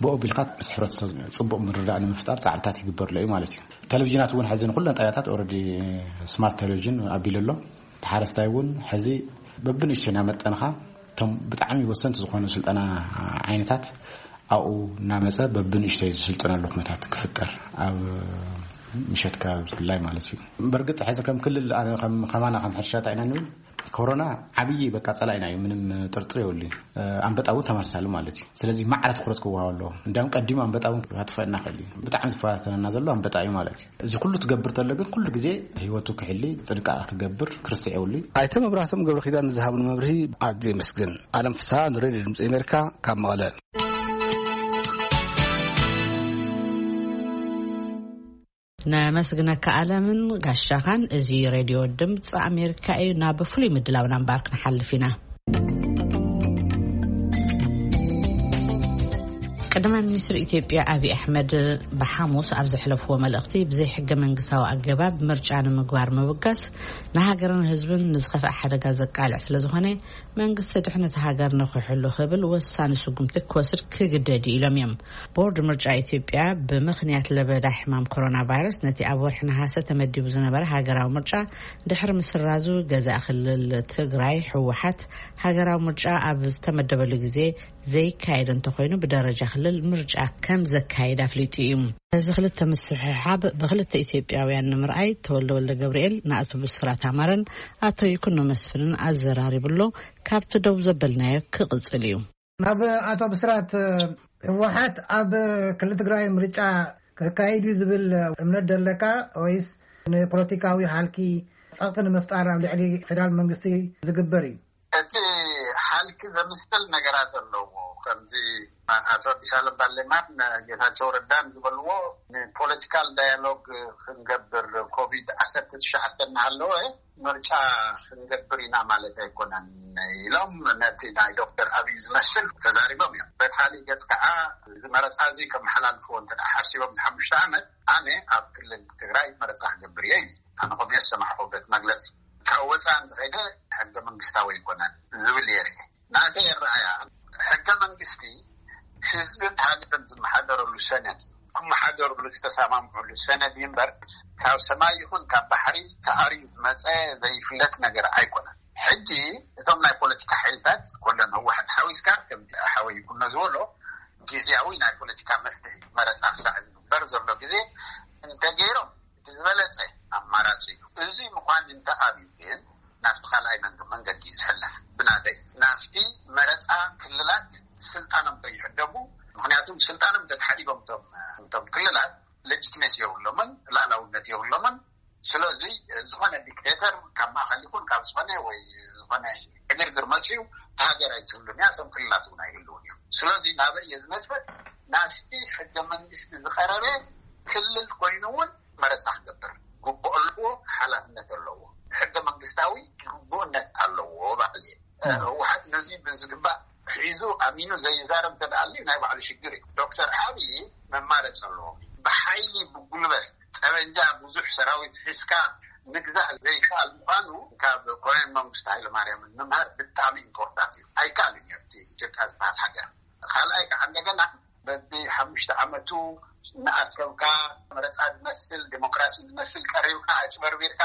ብኡ ቢልካ ምስ ሕብረተሰብ ፅቡቕ ምርዳእ ንምፍጣር ፃዕርታት ይግበርሎ እዩ ማለት እዩ። ቴሌቪዥናት እውን ሕዚ ንኩለን ጣብያታት ኦረዲ ስማርት ቴሌቪዥን ኣቢሉ ኣሎ። ተሓረስታይ እውን ሕዚ በብንእሽተይ እናመጠንኻ እቶም ብጣዕሚ ወሰንቲ ዝኾኑ ስልጠና ዓይነታት ኣብኡ እናመፀ በብንእሽተይ ዝስልጠነሉ ኩነታት ክፍጠር ኣብ ምሸት ከባቢ ብፍላይ ማለት እዩ። በርግጥ ሕዚ ከም ክልል ኣነ ከም ከማና ከም ሕርሻ እንታይ ኢና ንብል ኮሮና ዓብዪ በቃ ፀላኢና እዩ፣ ምንም ጥርጥር የብሉ። ኣንበጣ እውን ተመሳሳሊ ማለት እዩ። ስለዚ ማዕረ ትኩረት ክወሃብ ኣለዎ። እንዲያውም ቀዲሙ ኣንበጣ እውን ክጥፈእና ክእል እዩ። ብጣዕሚ ዝፈታተነና ዘሎ ኣንበጣ እዩ ማለት እዩ። እዚ ኩሉ ትገብር ተሎ ግን ኩሉ ግዜ ህይወቱ ክሕሊ ጥንቃቐ ክገብር ክርስዕ የብሉ። ኣይተ መብራህቶም ገብረ ኪዳን ንዝሃብን መብርሂ ኣዝየ የመስግን። ኣለም ፍስሃ ንሬድዮ ድምፂ ኣሜሪካ ካብ መቐለ። ነመስግነካ ኣለምን ጋሻኻን። እዚ ሬድዮ ድምፂ ኣሜሪካ እዩ። ናብ ፍሉይ ምድላውና እምበኣር ክንሓልፍ ኢና። ቀዳማይ ሚኒስትር ኢትዮጵያ ኣብይ ኣሕመድ ብሓሙስ ኣብ ዘሕለፍዎ መልእኽቲ ብዘይ ሕገ መንግስታዊ ኣገባብ ምርጫ ንምግባር ምብጋስ ንሃገርን ህዝብን ንዝኸፍአ ሓደጋ ዘቃልዕ ስለ ዝኾነ መንግስቲ ድሕነት ሃገር ንኽሕሉ ክብል ወሳኒ ስጉምቲ ክወስድ ክግደድ እዩ ኢሎም እዮም። ቦርድ ምርጫ ኢትዮጵያ ብምኽንያት ለበዳ ሕማም ኮሮና ቫይረስ ነቲ ኣብ ወርሒ ነሃሰ ተመዲቡ ዝነበረ ሃገራዊ ምርጫ ድሕሪ ምስራዙ ገዛኢ ክልል ትግራይ ህወሓት ሃገራዊ ምርጫ ኣብ ዝተመደበሉ ግዜ ዘይካየድ እንተኾይኑ ብደረጃ ክልል ምርጫ ከም ዘካየድ ኣፍሊጡ እዩ። እዚ ክልተ ምስሕሓብ ብክልተ ኢትዮጵያውያን ንምርኣይ ተወልደ ወልደ ገብርኤል ንኣቶ ብስራት ኣማረን ኣቶ ይኩኖ መስፍንን ኣዘራሪቡ ኣሎ። ካብቲ ደው ዘበልናዮ ክቕጽል እዩ። ናብ ኣቶ ብስራት፣ ህወሓት ኣብ ክልል ትግራይ ምርጫ ከካይድ እዩ ዝብል እምነት ደለካ ወይስ ንፖለቲካዊ ሃልኪ ጸቕጢ ንምፍጣር ኣብ ልዕሊ ፌደራል መንግስቲ ዝግበር እዩ? እቲ ሓልኪ ዘምስል ነገራት ኣለዎ። ከምዚ ኣቶ ኣዲስ ኣለም ባሌማን ጌታቸው ረዳን ዝበልዎ ንፖለቲካል ዳያሎግ ክንገብር ኮቪድ ዓሰርተ ትሽዓተ እናሃለወ ምርጫ ክንገብር ኢና ማለት ኣይኮነን ኢሎም ነቲ ናይ ዶክተር ኣብይ ዝመስል ተዛሪቦም እዮም። በካሊእ ገፅ ከዓ እዚ መረፃ እዚ ከመሓላልፍዎ እንተ ደኣ ሓሲቦም እዚ ሓሙሽተ ዓመት ኣነ ኣብ ክልል ትግራይ መረፃ ክገብር እየ ኢሉ። ኣነ ከምኡ ዝሰማዕኹ በቲ መግለፂ ካብ ወፃኢ እንተኸይደ ሕገ መንግስታዊ ኣይኮነን ዝብል እየ ርኢ። ናተይ ኣረኣእያ ሕገ መንግስቲ ህዝብን ሃገርን ዝመሓደረሉ ሰነድ እዩ። ክመሓደርሉ ዝተሰማምዑሉ ሰነድ እዩ እምበር ካብ ሰማይ ይኹን ካብ ባሕሪ ተኣርዩ ዝመፀ ዘይፍለጥ ነገር ኣይኮነን። ሕጂ እቶም ናይ ፖለቲካ ሓይልታት ኮለን ህወሓት ሓዊስካ ከምቲ ሓወይ ይኩኖ ዝበሎ ግዝያዊ ናይ ፖለቲካ መፍትሒ መረፃ ክሳዕ ዝግበር ዘሎ ግዜ እንተገይሮም እቲ ዝበለፀ ኣማራፂ እዩ። እዚ ምዃን እንተ ኣብዩ ግን ናብቲ ካልኣይ መንገ- መንገዲ እዩ ዝሕለፍ። ብናተይ ናብቲ መረፃ ክልላት ስልጣኖም ከይሕደጉ፣ ምክንያቱም ስልጣኖም ተተሓዲጎም እቶም እቶም ክልላት ሌጂትሜሲ የብሎምን፣ ላእላውነት የብሎምን። ስለዚ ዝኾነ ዲክቴተር ካብ ማእኸል ይኹን ካብ ዝኾነ ወይ ዝኾነ ዕግርግር መፅዩ ሃገር ኣይትህሉን እያ፣ እቶም ክልላት እውን ኣይህልውን እዮም። ስለዚ ናበይ እየ ዝነጥፈ? ናብቲ ሕገ መንግስቲ ዝቐረበ ክልል ኮይኑ እውን መረፃ ክገብር ግቡእ ኣለዎ፣ ሓላፍነት ኣለዎ። ሕገ መንግስታዊ ግቡእነት ኣለዎ ባዕል እየ። ህወሓት ነዚ ብዝግባእ ሒዙ ኣሚኑ ዘይዛረብ እንተ ደኣ ኣልዩ ናይ ባዕሉ ሽግር እዩ። ዶክተር ኣብይ መማረፂ ኣለዎ። ብሓይሊ ብጉልበት ጠበንጃ ብዙሕ ሰራዊት ሒዝካ ምግዛእ ዘይከኣል ምዃኑ ካብ ኮሎኔል መንግስቱ ሃይለማርያምን ምምሃር ብጣዕሚ ኢምፖርታንት እዩ። ኣይከኣልን እዩ ኣብቲ ኢትዮጵያ ዝበሃል ሃገር። ካልኣይ ከዓ እንደገና በቢ ሓሙሽተ ዓመቱ እናኣከብካ መረፃ ዝመስል ዴሞክራሲ ዝመስል ቀሪብካ ኣጭበርቢርካ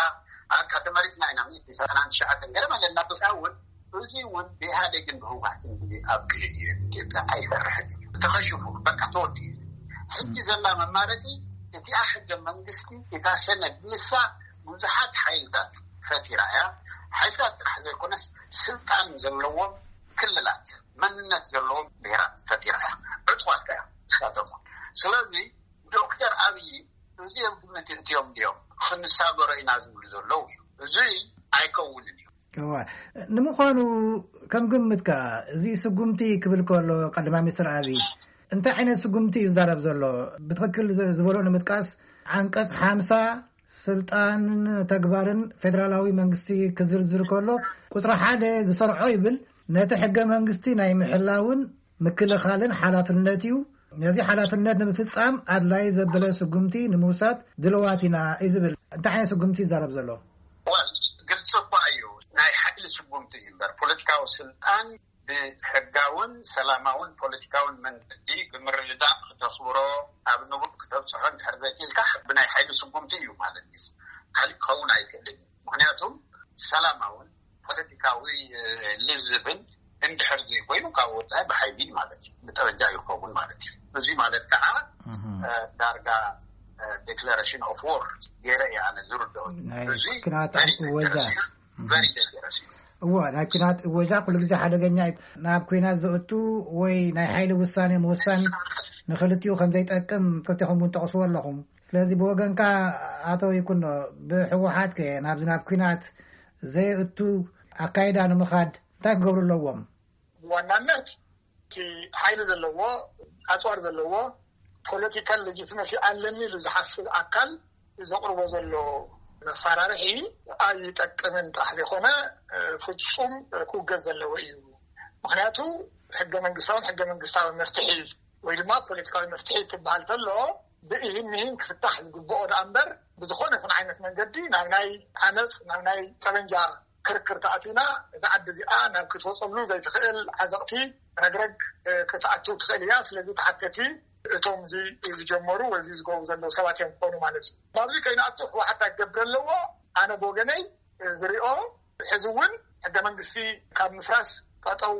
ኣካ ተመሪፅና ኢና ሚእቲ ሰብዓን ትሽዓተን ገለ መለ እናበልካ እውን እዚ እውን ብኢህኣዴግን ብህወሓትን ግዜ ኣብቂዑ እዩ። ኢትዮጵያ ኣይሰርሕን እዩ ተኸሽፉ በቃ ተወዲኡ። ሕጂ ዘላ መማረፂ እቲኣ ሕገ መንግስቲ፣ እታ ሰነድ ንሳ ብዙሓት ሓይልታት ፈጢራ እያ። ሓይልታት ጥራሕ ዘይኮነስ ስልጣን ዘለዎም ክልላት፣ መንነት ዘለዎም ብሄራት ፈጢራ እያ። ዕጡቋት እያ ንሳቶም። ስለዚ ዶክተር ኣብይ እዚኦም ግምት እንቲኦም ድዮም ክንሳገሮ ኢና ዝብሉ ዘለዉ እዩ። እዚ ኣይከውንን እዩ። እዋ፣ ንምዃኑ ከም ግምትካ እዚ ስጉምቲ ክብል ከሎ ቀዳማይ ሚኒስትር ኣብይ እንታይ ዓይነት ስጉምቲ እዩ ዝዛረብ ዘሎ? ብትኽክል ዝ- ዝበሎ ንምጥቃስ፣ ዓንቀጽ ሓምሳ ስልጣንን ተግባርን ፌደራላዊ መንግስቲ ክዝርዝር ከሎ፣ ቁጽሪ ሓደ ዝሰርዖ ይብል፣ ነቲ ሕገ መንግስቲ ናይ ምሕላውን ምክልኻልን ሓላፍነት እዩ። ነዚ ሓላፍነት ንምፍጻም ኣድላይ ዘበለ ስጉምቲ ንምውሳድ ድልዋት ኢና እዩ ዝብል። እንታይ ዓይነት ስጉምቲ ይዛረብ ዘሎ? ዋል፣ ግልፂ እኳ እዩ። ናይ ሓይሊ ስጉምቲ እዩ እምበር፣ ፖለቲካዊ ስልጣን ብሕጋውን ሰላማውን ፖለቲካውን መንገዲ ብምርድዳእ ክተኽብሮ፣ ኣብ ንቡር ክተብፅሖ እንድሕር ዘይክኢልካ፣ ብናይ ሓይሊ ስጉምቲ እዩ ማለት እዩ። ካሊእ ክኸውን ኣይክእልን እዩ። ምክንያቱም ሰላማውን ፖለቲካዊ ልዝብን እንድሕር ዘይኮይኑ፣ ካብ ወፃኢ ብሓይሊ ማለት እዩ፣ ብጠበንጃ ይኸውን ማለት እዩ። እዚ ማለት ከዓ ዳርጋ ዴክላሬሽን ኦፍ ዎር ገይረ እየ ኣነ ዝርድኦ። ናይ እዚ ኩናት እወጃ። እዎ፣ ናይ ኩናት እወጃ ኩሉ ግዜ ሓደገኛ እዩ። ናብ ኩናት ዘእቱ ወይ ናይ ሓይሊ ውሳኔ ምውሳን ንክልቲኡ ከም ዘይጠቅም ክልቴኹም እውን ጠቕስዎ ኣለኹም። ስለዚ ብወገንካ፣ ኣቶ ይኩኖ፣ ብህወሓት ከ ናብዚ ናብ ኩናት ዘየእቱ ኣካይዳ ንምኻድ እንታይ ክገብሩ ኣለዎም? ብዋናነት እቲ ሓይሊ ዘለዎ፣ ኣፅዋር ዘለዎ፣ ፖለቲካል ሌጂትመሲ ኣለኒ ኢሉ ዝሓስብ ኣካል ዘቕርቦ ዘሎ መፈራርሒ ኣይጠቅምን ጥራሕ ዘይኮነ፣ ፍፁም ክውገዝ ዘለዎ እዩ። ምክንያቱ ሕገ መንግስታውን ሕገ መንግስታዊ መፍትሒ ወይ ድማ ፖለቲካዊ መፍትሒ ትበሃል ተሎ ብእሂን ምሂን ክፍታሕ ዝግብኦ ደኣ እምበር፣ ብዝኾነ ይኹን ዓይነት መንገዲ ናብ ናይ ዓመፅ፣ ናብ ናይ ጠበንጃ ክርክር ተኣቲና፣ እዛ ዓዲ እዚኣ ናብ ክትወፀሉ ዘይትኽእል ዓዘቕቲ ረግረግ ክትኣትው ትኽእል እያ። ስለዚ ተሓተቲ እቶም እዚ ዝጀመሩ ወይ እዚ ዝገብሩ ዘለዉ ሰባት እዮም ክኾኑ ማለት እዩ። ናብዚ ከይንኣቱ ህወሓት እንታይ ክገብር ኣለዎ? ኣነ ብወገነይ ዝሪኦ፣ ሕዚ እውን ሕገ መንግስቲ ካብ ምፍራስ ጠጠው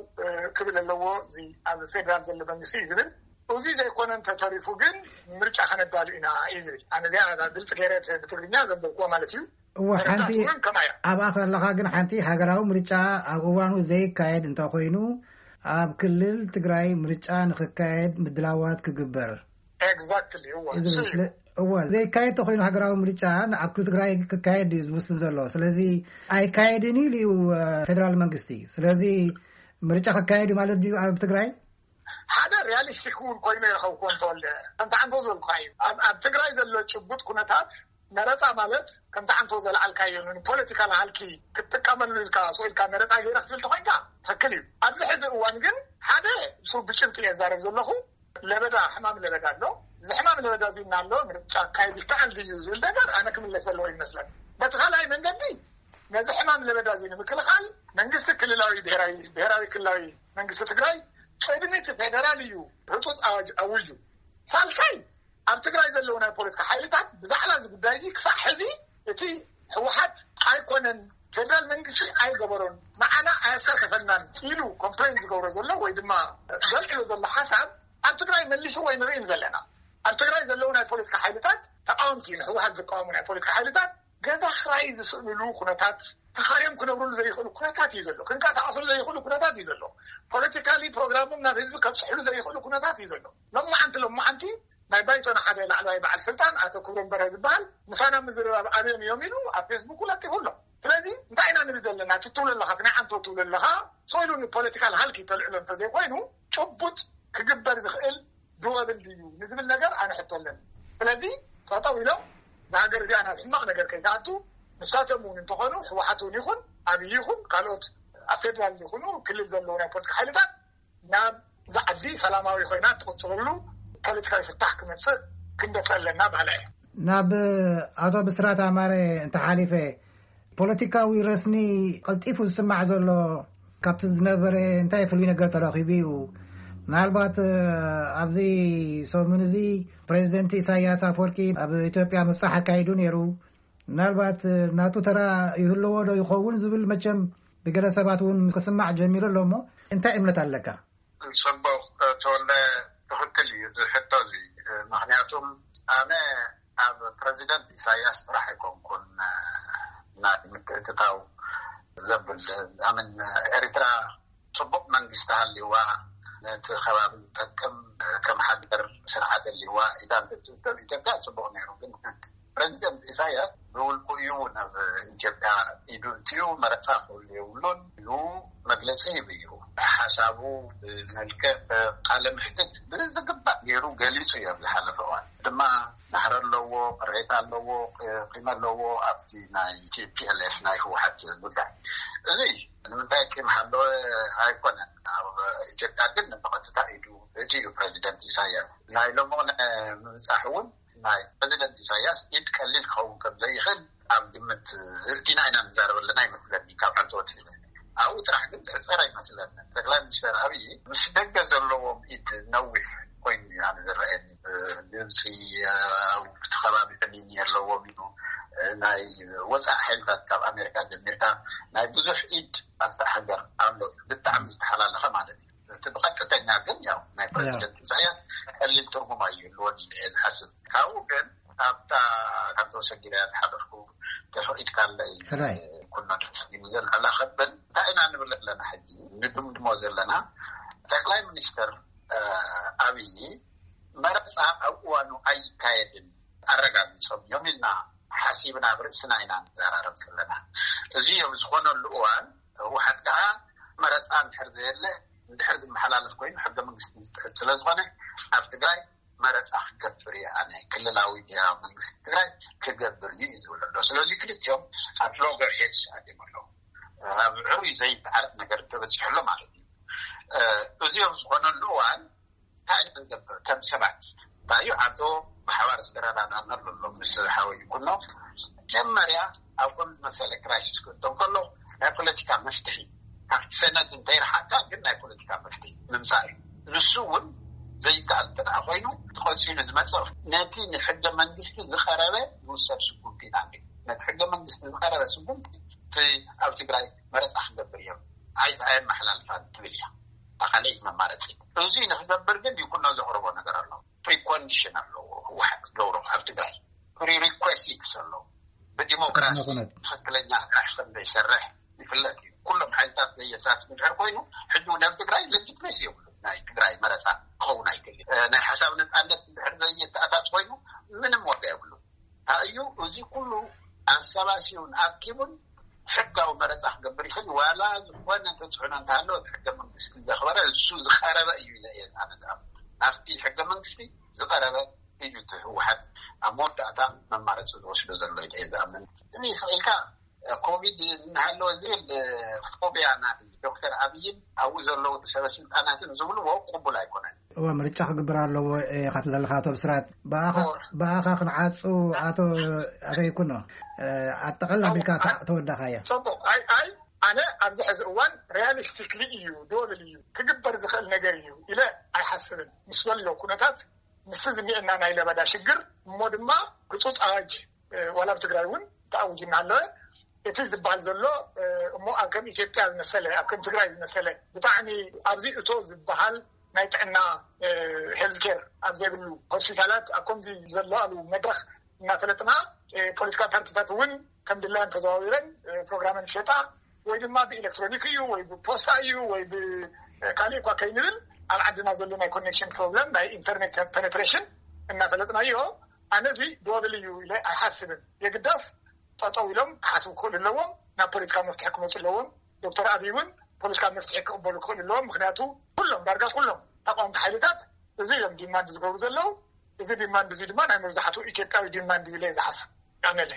ክብል ኣለዎ እዚ ኣብ ፌደራል ዘሎ መንግስቲ እዩ ዝብል። እዚ ዘይኮነ እንተተሪፉ ግን ምርጫ ከነዳሉ ኢና እዩ ዝብል። ኣነ እዚኣ ግልፂ ገይረ ብትግርኛ ዘንበብክዎ ማለት እዩ። እወ፣ ሓንቲ ተረዳእቲ እውን ከማያ። ኣብኣ ከለኻ ግን ሓንቲ ሃገራዊ ምርጫ ኣብ እዋኑ ዘይካየድ እንተኾይኑ፣ ኣብ ክልል ትግራይ ምርጫ ንኽካየድ ምድላዋት ክግበር ኤግዛክትሊ፣ እወ፣ እዩ ዝብል። እሱ እዩ። ስለ- እወ፣ ዘይካየድ ተኾይኑ ሃገራዊ ምርጫ ኣብ ክልል ትግራይ ክካየድ እዩ ዝውስን ዘሎ። ስለዚ ኣይካየድን ኢሉ እዩ፣ እ፣ ፌደራል መንግስቲ። ስለዚ ምርጫ ክካየድ እዩ ማለት ድዩ ኣብ ትግራይ? ሓደ ሪያሊስቲክ እውን ኮይኑ ይረኸብኩዎ እንተወልደ፣ ከምቲ ዓንቶ ዝበልኩኻ እዩ። ኣብ ኣብ ትግራይ ዘሎ ጭቡጥ ኩነታት፣ መረፃ ማለት ከምቲ ዓንቶ ዘልዓልካዮ ፖለቲካል ሃልኪ ክትጥቀመሉ ኢልካ ስኢልካ መረፃ ገይረ ክትብል ተኮይንካ ትክክል እዩ። ኣብዚ ሕዚ እዋን ግን ሓደ ሱ ብጭብጢ እየ ዛረብ ዘለኹ። ለበዳ፣ ሕማም ለበዳ ኣሎ። እዚ ሕማም ለበዳ እዚ እናሎ ምርጫ ኣካይድ ይከኣል ድዩ ዝብል ነገር ኣነ ክምለስ ዘለዎ ይመስለኒ። በቲ ካልኣይ መንገዲ ነዚ ሕማም ለበዳ እዚ ንምክልኻል መንግስቲ ክልላዊ ብሔራዊ ብሔራዊ ክልላዊ መንግስቲ ትግራይ ቅድሚ እቲ ፌደራል እዩ ህፁፅ ኣዋጅ ኣውጁ። ሳልሳይ ኣብ ትግራይ ዘለዉ ናይ ፖለቲካ ሓይልታት ብዛዕባ እዚ ጉዳይ እዚ ክሳዕ ሕዚ እቲ ህወሓት ኣይኮነን፣ ፌደራል መንግስቲ ኣይገበሮን፣ ንዓና ኣየሳተፈናን ኢሉ ኮምፕሌን ዝገብሮ ዘሎ ወይ ድማ ዘልዕሎ ዘሎ ሓሳብ ኣብ ትግራይ መሊስዎ ኣይንርእን ዘለና። ኣብ ትግራይ ዘለዉ ናይ ፖለቲካ ሓይልታት ተቃወምቲ፣ ንህወሓት ዝቃወሙ ናይ ፖለቲካ ሓይልታት ገዛ ክራይ ዝስእንሉ ኩነታት፣ ተኻርዮም ክነብርሉ ዘይኽእሉ ኩነታት እዩ ዘሎ። ክንቀሳቀስሉ ዘይኽእሉ ኩነታት እዩ ዘሎ። ፖለቲካሊ ፕሮግራሞም ናብ ህዝቢ ከብፅሕሉ ዘይኽእሉ ኩነታት እዩ ዘሎ። ሎማዓንቲ ሎማዓንቲ ናይ ባይቶና ሓደ ላዕለዋይ በዓል ስልጣን ኣቶ ክብሮም በርሀ ዝበሃል ምሳና ምዝርራብ ኣብዮም እዮም ኢሉ ኣብ ፌስቡክ ለጢፉ ኣሎ። ስለዚ እንታይ ኢና ንብል ዘለና? እቲ ትብሎ ኣለኻ፣ ናይ ዓንቶ ትብሎ ኣለኻ፣ ስኢሉ ንፖለቲካል ሃልኪ ተልዕሎ እንተዘይኮይኑ ጭቡጥ ክግበር ዝኽእል ዱወብል ድዩ ንዝብል ነገር ኣነ ሕቶ ኣለኒ። ስለዚ ጠጠው ኢሎም ንሃገር እዚኣ ናብ ሕማቕ ነገር ከይትኣቱ ንሳቶም እውን እንተኾኑ ህወሓት እውን ይኹን ኣብይ ይኹን ካልኦት ኣብ ፌደራል ይኹኑ ክልል ዘለዉ ናይ ፖለቲካ ሓይልታት ናብዛ ዓዲ ሰላማዊ ኮይና ትቕፅለሉ ፖለቲካዊ ፍታሕ ክመፅእ ክንደፍእ ኣለና በሃላይ እየ። ናብ ኣቶ ብስራት ኣማረ እንተሓሊፈ፣ ፖለቲካዊ ረስኒ ቀልጢፉ ዝስማዕ ዘሎ ካብቲ ዝነበረ እንታይ ፍሉይ ነገር ተረኺቡ እዩ? ምናልባት ኣብዚ ሰሙን እዚ ፕሬዚደንት ኢሳያስ ኣፈወርቂ ኣብ ኢትዮጵያ ምብፃሕ ኣካይዱ ነይሩ። ምናልባት ናቱ ተራ ይህልዎ ዶ ይኸውን ዝብል መቸም ብገለ ሰባት እውን ክስማዕ ጀሚሩ ኣሎ። እሞ እንታይ እምነት ኣለካ? ፅቡቕ ተወልደ፣ ትኽክል እዩ እዚ ሕቶ እዚ። ምክንያቱ ኣብ ፕረዚደንት ኢሳያስ ጥራሕ ኣይኮንኩን ናይ ምትእትታው ዘብል ኣምን ኤርትራ ጽቡቕ መንግስቲ ሃልይዋ፣ ነቲ ከባቢ ዝጠቅም ከም ሓገር ስርዓት ሃልይዋ ኢዳን ኢትዮጵያ ጽቡቕ ነይሩ። ግን ፕረዚደንት ኢሳያስ ብውልቁ እዩ ናብ ኢትዮጵያ ኢዱ እትዩ፣ መረፃ ክህሉ የብሉን ኢሉ መግለፂ ሂቡ እዩ። ሓሳቡ ብመልክዕ ቃለ ምሕትት ብዝግባእ ገይሩ ገሊፁ እዩ። ኣብ ዝሓለፈ እዋን ድማ ናህሪ ኣለዎ፣ ቅሬታ ኣለዎ፣ ቂመ ኣለዎ ኣብቲ ናይ ቲ ፒ ኤል ኤፍ ናይ ህወሓት ጉዳይ። እዚ ንምንታይ ቂም ሓለወ ኣይኮነን። ኣብ ኢትዮጵያ ግን ብቐጥታ ኢዱ እቲ እዩ ፕረዚደንት ኢሳያስ። ናይ ሎሚ ምብፃሕ እውን ናይ ፕረዚደንት ኢሳያስ ኢድ ቀሊል ክኸውን ከም ዘይኽእል ኣብ ግምት እቲና ኢና ንዛረብ ኣለና ይመስለኒ። ካብ ዓንተወት ኣብኡ ጥራሕ ግን ዝሕፀር ኣይመስለኒ። ጠቅላይ ሚኒስትር ኣብይ ምስ ደገ ዘለዎም ኢድ ነዊሕ ኮይኑ እዩ ኣነ ዝረኣየኒ። ግብፂ፣ ኣብቲ ከባቢ ዕኒኒ ኣለዎም እዩ። ናይ ወፃኢ ሓይልታት ካብ ኣሜሪካ ጀሚርካ ናይ ብዙሕ ኢድ ኣብታ ሃገር ኣሎ እዩ። ብጣዕሚ ዝተሓላለኸ ማለት እዩ። እቲ ብቐጥተኛ ግን ያው ናይ ፕረዚደንት ኢሳያስ ቀሊል ትርጉም ኣይህልዎን ኢለ እየ ዝሓስብ። ካብኡ ግን ኣብታ ካብቶ ሰጊረ ዝሓለፍኩ ተፈቒድካለይ ኩኖ ዘላ ከብል እንታይ ኢና ንብል ኣለና? ሕጂ ንድምድሞ ዘለና ጠቅላይ ሚኒስትር ኣብይ መረፃ ኣብ እዋኑ ኣይካየድን ኣረጋጊፆም እዮም ኢልና ሓሲብና ኣብ ርእስና ኢና ንዘራረብ ዘለና። እዚ ኣብ ዝኾነሉ እዋን ህወሓት ከዓ መረፃ እንድሕር ዘየለ እንድሕር ዝመሓላለፍ ኮይኑ ሕገ መንግስቲ ዝጥሕስ ስለዝኾነ ኣብ ትግራይ መረፃ ክገብር እየ ኣነ፣ ክልላዊ ብሄራዊ መንግስቲ ትግራይ ክገብር እዩ እዩ ዝብል ኣሎ። ስለዚ ክልቲኦም ኣብ ሎገር ሄድስ ኣትዮም ኣለዉ። ኣብ ዕሩይ ዘይተዓረቕ ነገር ተበፂሑ ኣሎ ማለት እዩ። እዚ ኣብ ዝኾነሉ እዋን እንታይ ኢና ንገብር ከም ሰባት? እንታይ እዩ ዓንቶ ብሓባር ዝተረዳዳእናሉ ኣሎ ምስ ሓወይ ኩኖ። መጀመርያ ኣብ ከም ዝመሰለ ክራይሲስ ክእቶ ከሎ ናይ ፖለቲካ መፍትሒ ካብቲ ሰነድ እንተይረሓቅካ ግን ናይ ፖለቲካ መፍትሒ ምምፃእ እዩ። ንሱ እውን ዘይከኣል እንተ ደኣ ኮይኑ እቲ ቀፂሉ ዝመፅእ ነቲ ንሕገ መንግስቲ ዝቐረበ ዝውሰድ ስጉምቲ ኢና ንብል። ነቲ ሕገ መንግስቲ ዝቐረበ ስጉምቲ እቲ ኣብ ትግራይ መረፃ ክንገብር እዮም ኣይት ኣየመሓላልፋን ትብል እያ። እታ ካልኣይቲ መማረፂ። እዚ ንክገብር ግን ይኩኖ ዘቕርቦ ነገር ኣሎ። ፕሪኮንዲሽን ኣለዎ ህወሓት ዝገብሮ ኣብ ትግራይ ፕሪሪኩዌሲትስ ኣለዎ። ብዲሞክራሲ ቅድመ ኩነት። ትኽክለኛ ስራሕ ከም ዘይሰርሕ ይፍለጥ እዩ። ኩሎም ሓይልታት ዘየሳትፍ እንድሕር ኮይኑ ሕጂ እውን ኣብ ትግራይ ሌጂትመሲ የብሉ። ናይ ትግራይ መረፃ ክኸውን ኣይክእል። ናይ ሓሳብ ነፃነት እንድሕር ዘየተኣታት ኮይኑ ምንም ዋጋ የብሉ። እዩ እዚ ኩሉ ኣሰባሲቡን ኣኪቡን ሕጋዊ መረፃ ክገብር ይኽእል። ዋላ ዝኾነ ተፅዕኖ እንተሃለወ እቲ ሕገ መንግስቲ ዘኽበረ እሱ ዝቐረበ እዩ ኢለ እየ ኣነ ዝኣምን። ናብቲ ሕገ መንግስቲ ዝቐረበ እዩ እቲ ህወሓት ኣብ መወዳእታ መማረፂ ዝወስዶ ዘሎ ኢለ እየ ዝኣምን። እዚ ስቕ ኢልካ ኮቪድ እናሃለወ ዝብል ፎቢያ ናይ ዶክተር ኣብይን ኣብኡ ዘለዉ ሰበስልጣናትን ዝብልዎ ቅቡል ኣይኮነን። እወ፣ ምርጫ ክግበር ኣለዎ ኢኻ ትብል ዘለኻ ኣቶ ብስራት። ብኣኻ እወ። ብኣኻ ክንዓጹ ኣቶ ኣቶ ይኩኖ፣ ኣጠቐል ኣቢልካ ተ- ተወዳኻዮ። ጽቡቕ። ኣይ ኣይ ኣነ ኣብዚ ሕዚ እዋን ሪያሊስቲክሊ እዩ፣ ዶብል እዩ፣ ክግበር ዝኽእል ነገር እዩ ኢለ ኣይሓስብን። ምስ ዘሎ ኩነታት ምስቲ ዝኒኤና ናይ ለበዳ ሽግር እሞ ድማ ህጹጽ ኣዋጅ ዋላ ኣብ ትግራይ እውን ተኣዊጅና ኣለወ። እቲ ዝበሃል ዘሎ እሞ ኣብ ከም ኢትዮጵያ ዝመሰለ ኣብ ከም ትግራይ ዝመሰለ ብጣዕሚ ኣብዚ እቶ ዝበሃል ናይ ጥዕና ሄልዝ ኬር ኣብ ዘይብሉ ሆስፒታላት ኣብ ከምዚ ዘለኣሉ መድረክ እናፈለጥና ፖለቲካ ፓርቲታት እውን ከም ድላን ተዘዋዊረን ፕሮግራመን ይሸጣ ወይ ድማ ብኤሌክትሮኒክ እዩ ወይ ብፖስታ እዩ ወይ ብካሊእ እኳ ከይንብል ኣብ ዓድና ዘሎ ናይ ኮኔክሽን ፕሮብለም ናይ ኢንተርኔት ፔኔትሬሽን እናፈለጥናዮ። ኣነ እዚ ዶብል እዩ ኢለ ኣይሓስብን። የግዳስ ጠጠው ኢሎም ክሓስቡ ክኽእሉ ኣለዎም። ናብ ፖለቲካ መፍትሒ ክመፁ ኣለዎም። ዶክተር ኣብይ እውን ፖለቲካ መፍትሒ ክቕበሉ ክኽእሉ ኣለዎም። ምክንያቱ ኩሎም ዳርጋ ኩሎም ተቃወምቲ ሓይልታት እዚ እዮም ዲማንድ ዝገብሩ ዘለዉ። እዚ ዲማንድ እዚ ድማ ናይ መብዛሕትኡ ኢትዮጵያዊ ዲማንድ እዩ ኢለ ዝሓስብ። ያነለ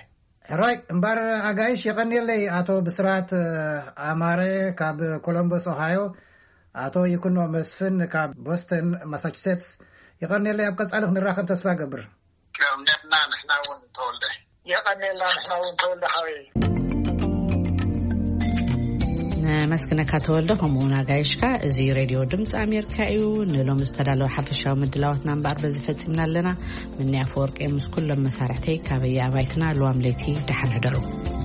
ሕራይ እምበር ኣጋይሽ የቐንየለይ። ኣቶ ብስራት ኣማረ ካብ ኮሎምበስ ኦሃዮ፣ ኣቶ ይኩኖ መስፍን ካብ ቦስተን ማሳቹሴትስ፣ የቐንየለይ። ኣብ ቀጻሊ ክንራኸብ ተስፋ ገብር። ቀምነትና ንሕና እውን ተወልደ። የቐንየልና ንሕና እውን ተወልደ ሓወይ። ነመስግነካ ተወልደ፣ ከምኡ እውን ኣጋይሽካ። እዚ ሬድዮ ድምፂ ኣሜሪካ እዩ። ንሎሚ ዝተዳለወ ሓፈሻዊ ምድላዋትና እምበኣር በዚ ፈፂምና ኣለና። ምኒ ኣፈወርቂ ምስ ኩሎም መሳርሕተይ ካበየ ኣባይትና ልዋም ለይቲ ደሓን ሕደሩ።